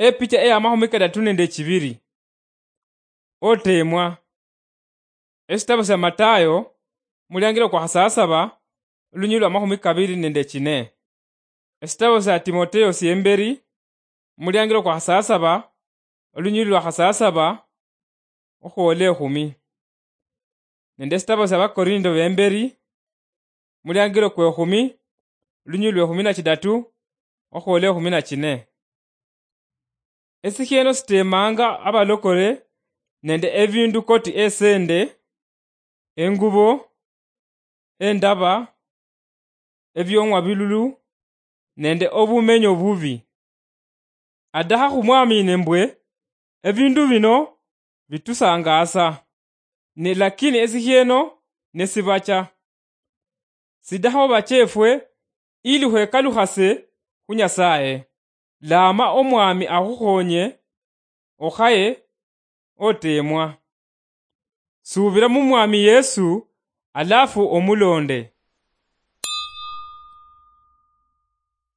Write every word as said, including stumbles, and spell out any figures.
Epicha eya mahumi kadatu nende chibiri. Otemwa. Esitabo sya Matayo, muliangilo kwa hasasaba, olunyili lwa mahumi kabiri nende chine. Esitabo sya Timoteo syemberi, muliangilo kwa hasasaba, olunyili lwa hasasaba, okhwola ekhumi. Nende esitabo sya Bakorindo bemberi, muliangilo kwe ekhumi, lunyili lwe ekhumi na chidatu, okhwola ekhumi na chine. Esikhieno sitemanga abalokole nende ebindu koti esende, engubo, endaba, ebiong'wa bilulu, nende obumenyo bubi. Adaha khumwamine mbwe ebindu bino bitusangaasa, ne lakini esikhieno nesibacha. Sidaho bachefwe ili khwekalukhase khu Nyasaye. Lama Omwami akhukhonye okhaye otemwa. Subira mu Mwami Yesu, alafu omulonde.